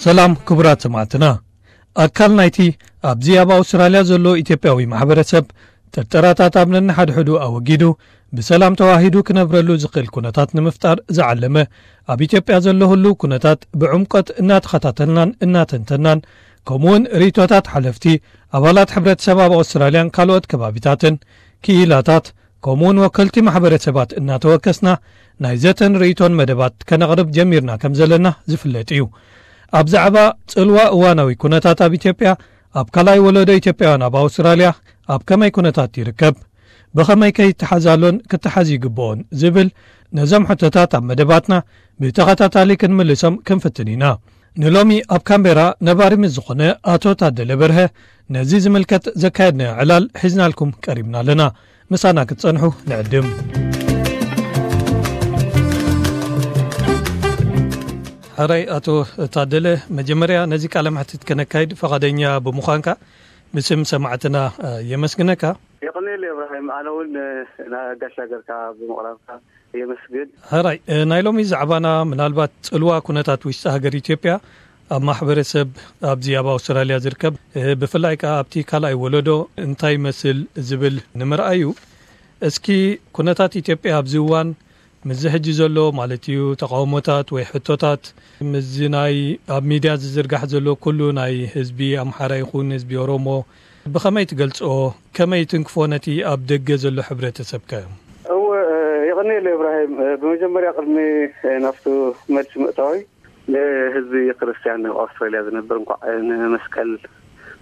ሰላም ክቡራት ሰማዕትና። ኣካል ናይቲ ኣብዚ ኣብ ኣውስትራልያ ዘሎ ኢትዮጵያዊ ማሕበረሰብ ጥርጠራታት ኣብ ነንሓድሕዱ ኣወጊዱ ብሰላም ተዋሂዱ ክነብረሉ ዝኽእል ኩነታት ንምፍጣር ዝዓለመ፣ ኣብ ኢትዮጵያ ዘሎ ህሉው ኩነታት ብዕምቆት እናተኸታተልናን እናተንተናን፣ ከምኡውን ርእይቶታት ሓለፍቲ፣ ኣባላት ሕብረተሰብ ኣብ ኣውስትራልያን ካልኦት ከባቢታትን፣ ክኢላታት፣ ከምኡውን ወከልቲ ማሕበረሰባት እናተወከስና ናይ ዘተን ርእይቶን መደባት ከነቕርብ ጀሚርና ከም ዘለና ዝፍለጥ እዩ። ኣብ ዛዕባ ጽልዋ እዋናዊ ኩነታት ኣብ ኢትዮጵያ፣ ኣብ ካልኣይ ወለዶ ኢትዮጵያውያን ኣብ ኣውስትራልያ ኣብ ከመይ ኩነታት ይርከብ፣ ብኸመይ ከይተሓዛሎን ክተሓዝ ይግብኦን ዝብል ነዞም ሕቶታት ኣብ መደባትና ብተኸታታሊ ክንምልሶም ክንፍትን ኢና። ንሎሚ ኣብ ካምቤራ ነባሪ ምስ ዝኾነ ኣቶ ታደለ በርሀ ነዚ ዝምልከት ዘካየድናዮ ዕላል ሒዝናልኩም ቀሪብና ኣለና። ምሳና ክትጸንሑ ንዕድም። ሕራይ ኣቶ ታደለ፣ መጀመርያ ነዚ ቃለ መሕትት ከነካይድ ፈቓደኛ ብምዃንካ ብስም ሰማዕትና የመስግነካ። የቐንየለይ እብራሂም፣ ኣነ እውን ንጋሻ ገርካ ብምቕራብካ የመስግን። ሕራይ፣ እ፣ ናይ ሎሚ ዛዕባና ምናልባት ጽልዋ ኩነታት ውሽጢ ሃገር ኢትዮጵያ ኣብ ማሕበረሰብ ኣብዚ ኣብ ኣውስትራልያ ዝርከብ፣ እ፣ ብፍላይ ከኣ ኣብቲ ካልኣይ ወለዶ እንታይ ይመስል ዝብል ንምርኣይ እዩ። እስኪ ኩነታት ኢትዮጵያ ኣብዚ እዋን ምስዚ ሕጂ ዘሎ ማለት እዩ ተቃውሞታት ወይ ሕቶታት ምስዚ ናይ ኣብ ሚድያ ዝዝርጋሕ ዘሎ ኩሉ ናይ ህዝቢ ኣምሓራ ይኹን ህዝቢ ኦሮሞ ብኸመይ ትገልጾ? ከመይ ትንክፎ ነቲ ኣብ ደገ ዘሎ ሕብረተሰብከ? እወ፣ የቐንየለይ እብራሂም። ብመጀመርያ ቅድሚ ናብቲ መልሲ ምእታወይ ንህዝቢ ክርስትያን ኣብ ኣውስትራልያ ዝነብር እንኳዕ ንመስቀል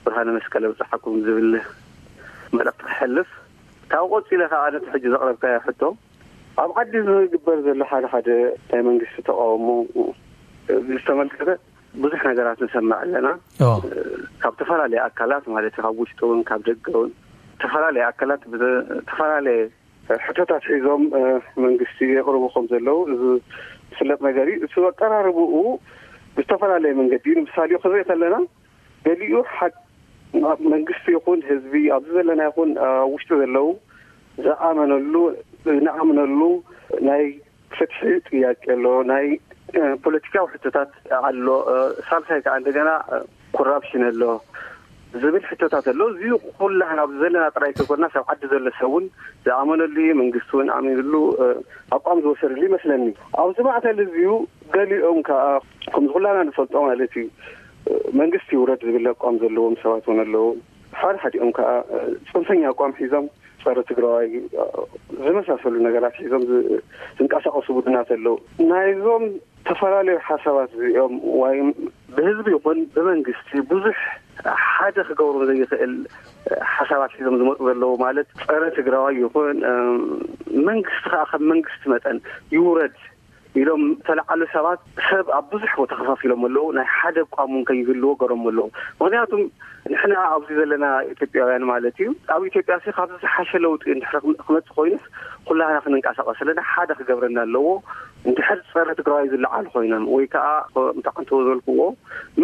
ብርሃነ መስቀል ኣብፀሓኩም ዝብል መልእኽቲ ክሕልፍ፣ ካብ ቆፂለ ከዓ ነቲ ሕጂ ዘቕረብካዮ ሕቶ ኣብ ዓዲ ዝግበር ዘሎ ሓደ ሓደ ናይ መንግስቲ ተቃውሞ ዝተመልከተ ብዙሕ ነገራት ንሰምዕ ኣለና። ካብ ዝተፈላለዩ ኣካላት ማለት ካብ ውሽጢ እውን ካብ ደገ እውን ዝተፈላለየ ኣካላት ዝተፈላለየ ሕቶታት ሒዞም መንግስቲ የቕርቡ ከም ዘለዉ እዚ ዝፍለጥ ነገር እዩ። እቲ ኣቀራርብኡ ብዝተፈላለየ መንገዲ እዩ። ንምሳሌ ክንርኢ ከለና ገሊኡ ሓ መንግስቲ ይኹን ህዝቢ ኣብዚ ዘለና ይኹን ውሽጢ ዘለዉ ዝኣመነሉ ንኣምነሉ ናይ ፍትሒ ጥያቄ ኣሎ፣ ናይ ፖለቲካዊ ሕቶታት ኣሎ፣ ሳልሳይ ከዓ እንደገና ኮራፕሽን ኣሎ ዝብል ሕቶታት ኣሎ። እዚ ኩላህና ኣብዚ ዘለና ጥራይ ከይኮንና ሰብ ዓዲ ዘሎ ሰብ እውን ዝኣመነሉ እዩ፣ መንግስቲ እውን ኣሚኑሉ ኣቋም ዝወሰድሉ ይመስለኒ። ኣብዚ ማእከል እዚዩ ገሊኦም ከዓ ከምዚ ኩላህና ንፈልጦ ማለት እዩ መንግስቲ ይውረድ ዝብል ኣቋም ዘለዎም ሰባት እውን ኣለዉ። ሓደ ሓዲኦም ከዓ ፅንፈኛ ኣቋም ሒዞም ፀረ ትግራዋይ ዝመሳሰሉ ነገራት ሒዞም ዝንቀሳቀሱ ቡድናት ኣለዉ። ናይዞም ዝተፈላለዩ ሓሳባት እዚኦም ወይ ብህዝቢ ይኹን ብመንግስቲ ብዙሕ ሓደ ክገብሮ ዘይኽእል ሓሳባት ሒዞም ዝመፁ ዘለዉ ማለት ፀረ ትግራዋይ ይኹን መንግስቲ ከዓ ከም መንግስቲ መጠን ይውረድ ኢሎም ዝተለዓሉ ሰባት ሰብ ኣብ ብዙሕ ቦታ ከፋፊሎም ኣለዉ። ናይ ሓደ ኣቋም እውን ከይህልዎ ገሮም ኣለዉ። ምክንያቱም ንሕና ኣብዚ ዘለና ኢትዮጵያውያን ማለት እዩ ኣብ ኢትዮጵያ ሲ ካብዚ ዝሓሸ ለውጢ እንድሕር ክመፅእ ኮይኑስ ኩላህና ክንንቀሳቀስ ኣለና። ሓደ ክገብረና ኣለዎ። እንድሕር ፀረ ትግራዋይ ዝለዓሉ ኮይኖም ወይ ከዓ ከምቲ ዓንተቦ ዝበልክዎ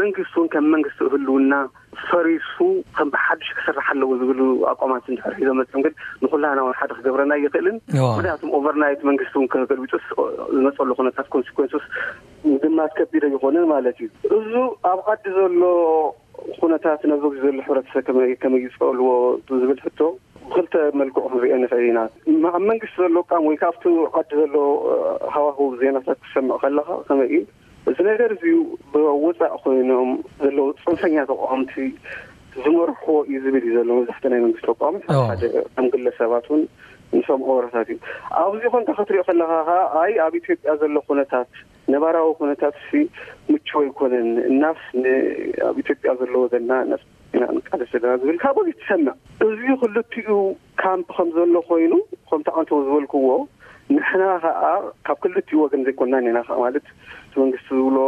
መንግስቲ እውን ከም መንግስቲ ህልውና ፈሪሱ ከም ብሓድሽ ክስራሕ ኣለዎ ዝብሉ ኣቋማት እንድሕር ሒዞም መፅዮም ግን ንኩላህና እውን ሓደ ክገብረና ኣይኽእልን። ምክንያቱም ኦቨርናይት መንግስቲ እውን ከገልብጡስ ዝመፀሉ ኩነታት ኮንሲኮንሱስ ምግማት ከቢድ ኣይኾነን ማለት እዩ። እዙ ኣብ ዓዲ ዘሎ ኩነታት ነዚ ዘሎ ሕብረተሰብ ከመይ ይፀልዎ ዝብል ሕቶ ብክልተ መልክዑ ክንሪኦ ንኽእል ኢና። ኣብ መንግስቲ ዘሎ ኣቋም ወይ ካብቲ ዓዲ ዘሎ ሃዋህው ዜናታት ክሰምዕ ከለካ ከመይ እዩ እዚ ነገር እዚ ብወፃእ ኮይኖም ዘለዉ ፅንፈኛ ተቃወምቲ ዝመርሕዎ እዩ ዝብል እዩ ዘሎ መብዛሕትኡ ናይ መንግስቲ ተቃዋሚ ሓደ ከም ግለሰባት እውን ንሰምዖ ወረታት እዩ። ኣብዚ ኮንካ ክትሪኦ ከለካ ከዓ ኣይ ኣብ ኢትዮጵያ ዘሎ ኩነታት ነባራዊ ኩነታት ሲ ምቹው ኣይኮነን እናስ ኣብ ኢትዮጵያ ዘሎ ወገንና እናስ ኢና ንቃለስ ዘለና ዝብል ካብ ወገን ትሰምዕ። እዚ ክልቲኡ ካምፕ ከም ዘሎ ኮይኑ ከምቲ ዓንተቦ ዝበልክዎ ንሕና ከዓ ካብ ክልቲኡ ወገን ዘይኮንናን ኢና ከዓ ማለት እቲ መንግስቲ ዝብሎ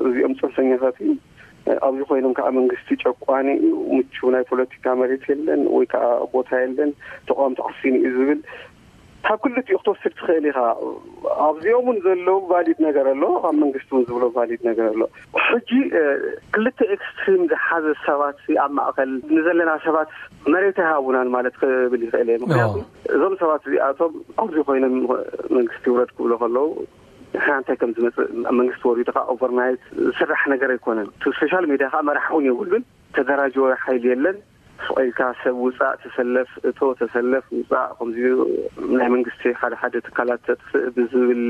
እዚኦም ፅንፈኛታት እዩ ኣብዚ ኮይኖም ከዓ መንግስቲ ጨቋኒ እዩ ምቹው ናይ ፖለቲካ መሬት የለን ወይ ከዓ ቦታ የለን ተቃወምቲ ዓፊኑ እዩ ዝብል ካብ ክልቲኡ ክትወስድ ትኽእል ኢኻ። ኣብዚኦም እውን ዘለዉ ቫሊድ ነገር ኣሎ ካብ መንግስቲ እውን ዝብሎ ቫሊድ ነገር ኣሎ። ሕጂ ክልተ ኤክስትሪም ዝሓዘ ሰባት ኣብ ማእከል ንዘለና ሰባት መሬት ኣይሃቡናን ማለት ክብል ይኽእል እየ ምክንያቱ እዞም ሰባት እዚኣቶም ኣብዚ ኮይኖም መንግስቲ ይውረድ ክብሎ ከለዉ ንሕና እንታይ ከም ዝመፅእ ኣብ መንግስቲ ወሪዱ ከዓ ኦቨርናይት ዝስራሕ ነገር ኣይኮነን። እቲ ሶሻል ሚድያ ከዓ መራሕ እውን የብሉን። ተደራጀወ ሓይሊ የለን። ስቕ ኢልካ ሰብ ውፃእ፣ ተሰለፍ፣ እቶ፣ ተሰለፍ፣ ውፃእ፣ ከምዚ ናይ መንግስቲ ሓደ ሓደ ትካላት ተጥፍእ ብዝብል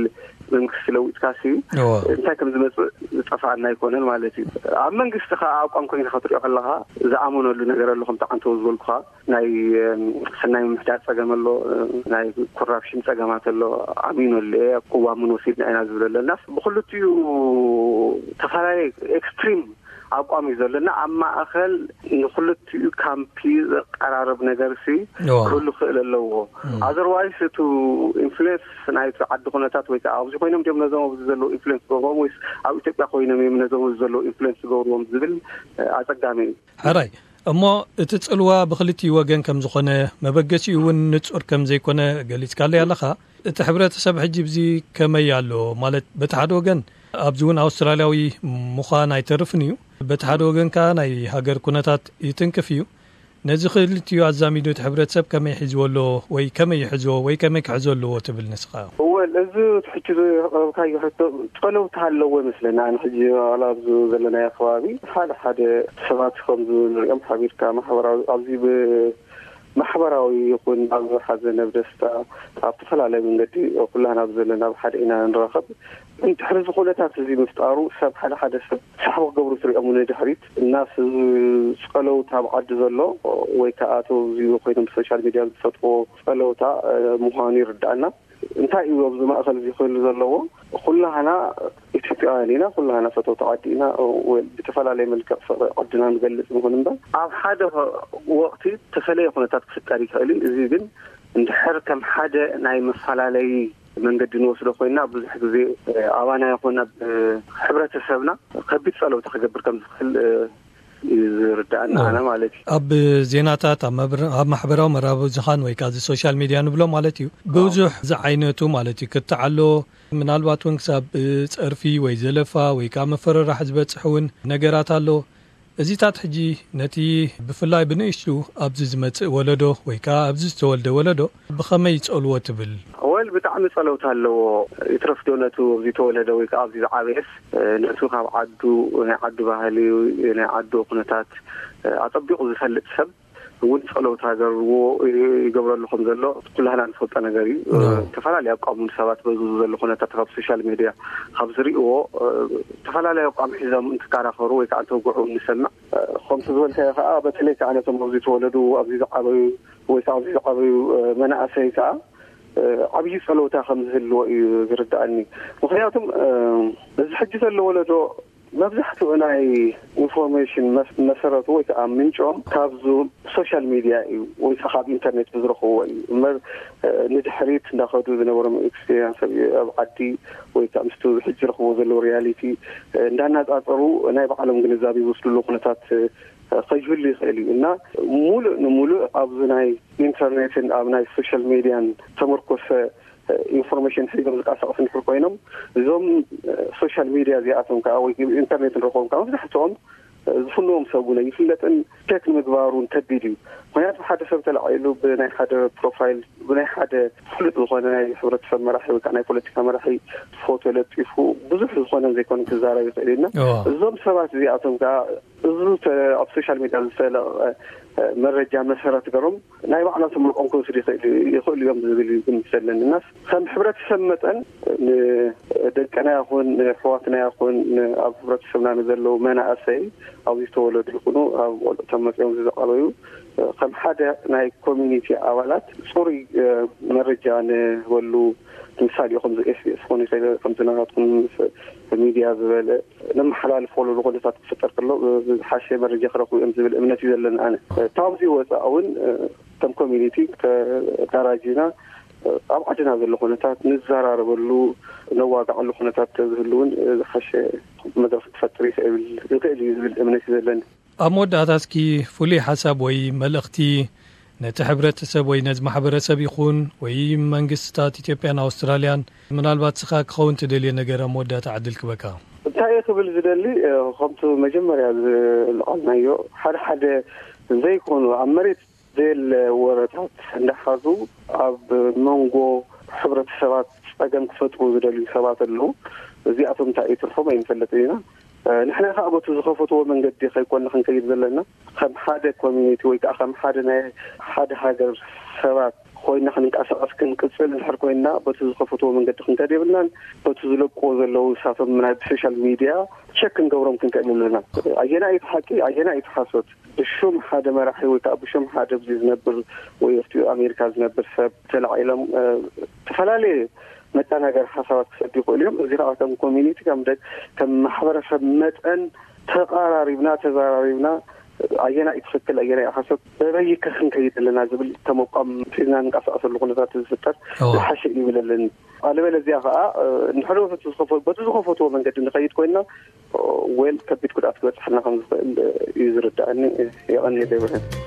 መንግስቲ ለዊጥካ ሲ እንታይ ከም ዝመፅእ ዝጠፋኣና ኣይኮነን ማለት እዩ። ኣብ መንግስቲ ከዓ ኣቋም ኮይንካ ክትሪኦ ከለካ ዝኣመነሉ ነገር ኣሎ። ከምቲ ዓንተው ዝበልኩካ ናይ ሰናይ ምምሕዳር ፀገም ኣሎ፣ ናይ ኮራፕሽን ፀገማት ኣሎ። ኣሚኖ ኣሎ። ቅዋምን ወሲድና ኢና ዝብል ኣሎ። እና ብክልቲኡ ተፈላለየ ኤክስትሪም ኣቋም እዩ ዘለና። ኣብ ማእኸል ንክልቲኡ ካምፒ ዘቀራርብ ነገር ሲ ክህሉ ክእል ኣለዎ። ኣዘርዋይስ እቱ ኢንፍሉንስ ናይቲ ዓዲ ኩነታት ወይ ከዓ ኣብዚ ኮይኖም ድም ነዞም ኣብዚ ዘለዉ ኢንፍሉንስ ገብርዎም ወይስ ኣብ ኢትዮጵያ ኮይኖም እዮም ነዞም ኣብዚ ዘለዉ ኢንፍሉንስ ገብርዎም ዝብል ኣፀጋሚ እዩ። ሕራይ እሞ እቲ ጽልዋ ብክልቲኡ ወገን ከም ዝኾነ፣ መበገሲኡ እውን ንጹር ከም ዘይኮነ ገሊጽካለይ ኣለኻ። እቲ ሕብረተሰብ ሕጂ ብዚ ከመይ ኣሎ? ማለት በቲ ሓደ ወገን ኣብዚ እውን ኣውስትራልያዊ ምዃን ኣይተርፍን እዩ፣ በቲ ሓደ ወገን ከኣ ናይ ሃገር ኩነታት ይትንክፍ እዩ። ነዚ ክልቲኡ ኣዛሚዱ እቲ ሕብረተሰብ ከመይ ሒዝዎ ኣሎ ወይ ከመይ ይሕዝዎ ወይ ከመይ ክሕዞ ኣለዎ ትብል ንስኻ? እወል፣ እዚ እቲ ሕጂ ዘቕረብካዮ ሕቶ ጸለውታ ኣለዎ ይመስለኒ። ኣነ ሕጂ ዋላ ኣብዚ ዘለናዮ ከባቢ ሓደ ሓደ ሰባት ከም ዝንሪኦም ሓቢርካ ማሕበራዊ ኣብዚ ብ ማሕበራዊ ይኹን ኣብ ሓዘን ኣብ ደስታ ኣብ ተፈላለየ መንገዲ ኩላህና ኣብ ዘለና ኣብ ሓደ ኢና ንራኸብ። እንድሕሪ እዚ ኩነታት እዚ ምፍጣሩ ሰብ ሓደ ሓደ ሰብ ሳሕቢ ክገብሩ ትሪኦም ንድሕሪት እናስ ጸለውታ ኣብ ዓዲ ዘሎ ወይ ከዓ እቶ እዚ ኮይኖም ብሶሻል ሚድያ ዝፈጥዎ ጸለውታ ምዃኑ ይርዳእና። እንታይ እዩ ኣብዚ ማእኸል እዚ ክህሉ ዘለዎ? ኩላህና ኢትዮጵያውያን ኢና፣ ኩላህና ፈተውቲ ዓዲ ኢና። ወ- ብተፈላለየ መልክዕ ፍቕሪ ዓድና ንገልጽ ንኹን እምበር ኣብ ሓደ ወቕቲ ተፈለየ ኩነታት ክፍጠር ይኽእል እዩ። እዚ ግን እንድሕር ከም ሓደ ናይ መፈላለይ መንገዲ ንወስዶ ኮይና ብዙሕ ግዜ ኣባና ይኹን ኣብ ሕብረተሰብና ከቢድ ጸለውታ ክገብር ከም ዝኽእል እዩ ዝርዳእና ኣነ ማለት እዩ። ኣብ ዜናታት፣ ኣብ መብር- ኣብ ማሕበራዊ መራኸቢ ብዙሃን ወይ ከዓ እዚ ሶሻል ሚድያ ንብሎ ማለት እዩ፣ ብዙሕ ዝዓይነቱ ማለት እዩ ክትዓሎ፣ ምናልባት እውን ክሳብ ጸርፊ ወይ ዘለፋ ወይ ከዓ መፈረራሕ ዝበጽሕ እውን ነገራት ኣሎ። እዚታት ሕጂ ነቲ ብፍላይ ብንእሽቱ ኣብዚ ዝመጽእ ወለዶ ወይ ከዓ ኣብዚ ዝተወልደ ወለዶ ብኸመይ ይጸልዎ ትብል? ወል ብጣዕሚ ጸለውታ ኣለዎ። ይትረፍዶ ነቱ ኣብዚ ተወለደ ወይ ከዓ ኣብዚ ዝዓበየስ ነቱ ካብ ዓዱ ናይ ዓዱ ባህሊ ናይ ዓዱ ኩነታት ኣጸቢቑ ዝፈልጥ ሰብ እውን ጸለውታ ገርዎ ይገብረሉ ከም ዘሎ ኩላህና ንፈልጦ ነገር እዩ። ዝተፈላለዩ ኣቋሙን ሰባት በዚ ዘሎ ኩነታት ካብ ሶሻል ሚድያ ካብ ዝርእዎ ዝተፈላለዩ ኣቋም ሒዞም እንትከራኸሩ ወይ ከዓ እንተውግዑ ንሰምዕ። ከምቲ ዝበልካዮ ከዓ በተለይ ከዓ ነቶም ኣብዚ ተወለዱ ኣብዚ ዝዓበዩ ወይ ከዓ ኣብዚ ዝዓበዩ መናእሰይ ከዓ ዓብዪ ጸለውታ ከም ዝህልዎ እዩ ዝርዳእኒ። ምክንያቱም እዚ ሕጂ ዘሎ ወለዶ መብዛሕትኡ ናይ ኢንፎርሜሽን መሰረቱ ወይ ከዓ ምንጮም ካብዙ ሶሻል ሚድያ እዩ ወይ ከዓ ካብ ኢንተርኔት ብዝረኽብዎ እዩ እምበር ንድሕሪት እንዳኸዱ ዝነበሮም ኤክስፔሪንስ ኣብ ዓዲ ወይ ከዓ ምስቲ ሕጂ ረኽብዎ ዘለዎ ሪያሊቲ እንዳናፃፀሩ ናይ ባዕሎም ግንዛቤ ዝወስድሉ ኩነታት ከይህሉ ይኽእል እዩ እና ሙሉእ ንሙሉእ ኣብዚ ናይ ኢንተርኔትን ኣብ ናይ ሶሻል ሚድያን ተመርኮሰ ኢንፎርሜሽን ሒዞም ዝንቀሳቀሱ እንድሕር ኮይኖም እዞም ሶሻል ሚድያ እዚኣቶም ከዓ ወይ ኢንተርኔት ንረኽቦም ከዓ መብዛሕትኦም ዝፍንዎም ሰብ እውን ኣይፍለጥን። ቸክ ንምግባር እውን ከቢድ እዩ። ምክንያቱ ሓደ ሰብ ተላዒሉ ብናይ ሓደ ፕሮፋይል ብናይ ሓደ ፍሉጥ ዝኾነ ናይ ሕብረተሰብ መራሒ ወይ ከዓ ናይ ፖለቲካ መራሒ ፎቶ ለጢፉ ብዙሕ ዝኾነ ዘይኮነ ክዛረብ ይኽእል እዩ እና እዞም ሰባት እዚኣቶም ከዓ እዚ ኣብ ሶሻል ሚድያ ዝተለቐቐ መረጃ መሰረት ገሮም ናይ ባዕላቶም ርቆም ክወስዱ ይኽእሉ እዮም ዝብል እዩ ግምት ዘለኒ እና ከም ሕብረተሰብ መጠን ንደቅና ይኹን ንኣሕዋትና ይኹን ኣብ ሕብረተሰብና ንዘለዉ መናእሰይ ኣብዚ ዝተወለዱ ይኹኑ ኣብ ቆልዑቶም መፅኦም ዝዓበዩ ከም ሓደ ናይ ኮሚኒቲ ኣባላት ፅሩይ መረጃ ንህበሉ ምሳሌ ከምዚ ኤስቢኤስ ክኾን ይኽእል ከምዚ ናትኩም ሚድያ ዝበለ ነመሓላልፈሉ ኩነታት ክፍጠር ከሎ ዝሓሸ መረጃ ክረኽቡ እዮም ዝብል እምነት እዩ ዘለኒ ኣነ። ካብዚ ወፃእ እውን ከም ኮሚኒቲ ተዳራጂና ኣብ ዓድና ዘሎ ኩነታት ንዘራረበሉ ነዋግዓሉ ኩነታት ተዝህሉ እውን ዝሓሸ መድረኽ ክፈጥር ይኽእል ይኽእል እዩ ዝብል እምነት እዩ ዘለኒ። ኣብ መወዳእታ እስኪ ፍሉይ ሓሳብ ወይ መልእኽቲ ነቲ ሕብረተሰብ ወይ ነዚ ማሕበረሰብ ይኹን ወይ መንግስትታት ኢትዮጵያን ኣውስትራልያን ምናልባት ስኻ ክኸውን ትደልዮ ነገር ኣብ መወዳእታ ዕድል ክበካ። እንታይ እየ ክብል ዝደሊ ከምቲ መጀመርያ ዝለዓልናዮ ሓደ ሓደ ዘይኮኑ ኣብ መሬት ዘየለ ወረታት እንዳሓዙ ኣብ መንጎ ሕብረተሰባት ጸገም ክፈጥሩ ዝደልዩ ሰባት ኣለዉ። እዚኣቶም እንታይ እዩ ትርፎም ኣይንፈልጥን ኢና። ንሕና ከዓ በቲ ዝኸፈትዎ መንገዲ ከይኮንና ክንከይድ ዘለና፣ ከም ሓደ ኮሚኒቲ ወይ ከዓ ከም ሓደ ናይ ሓደ ሃገር ሰባት ኮይና ክንንቀሳቀስ ክንቅፅል እንድሕር ኮይና፣ በቲ ዝኸፈትዎ መንገዲ ክንከድ የብልናን። በቲ ዝለቅዎ ዘለዉ ንሳቶም ናይ ብሶሻል ሚድያ ቸክ ክንገብሮም ክንክእል ኣለና። ኣየና እዩ ሓቂ፣ ኣየና እዩ ሓሶት? ብሹም ሓደ መራሒ ወይ ከዓ ብሹም ሓደ ኣብዚ ዝነብር ወይ ኣብቲ ኣሜሪካ ዝነብር ሰብ ተላዒሎም ዝተፈላለየ መጣናገር ሓሳባት ክሰዱ ይኽእሉ እዮም። እዚ ከዓ ከም ኮሚኒቲ ከም ማሕበረሰብ መጠን ተቐራሪብና ተዘራሪብና ኣየና እዩ ትኽክል ኣየና እዩ ሓሶት በበይ ከ ክንከይድ ኣለና ዝብል ተመቋም ሒዝና ንንቀሳቀሰሉ ኩነታት ዝፍጠር ዝሓሸ እዩ ይብለለኒ። ኣለበለዚያ ከዓ ንሕዶ በቲ ዝኸፈትዎ መንገዲ ንኸይድ ኮይና ወል ከቢድ ጉድኣት ክበፅሐና ከም ዝኽእል እዩ ዝርዳእኒ። የቐንየለ ይብረን።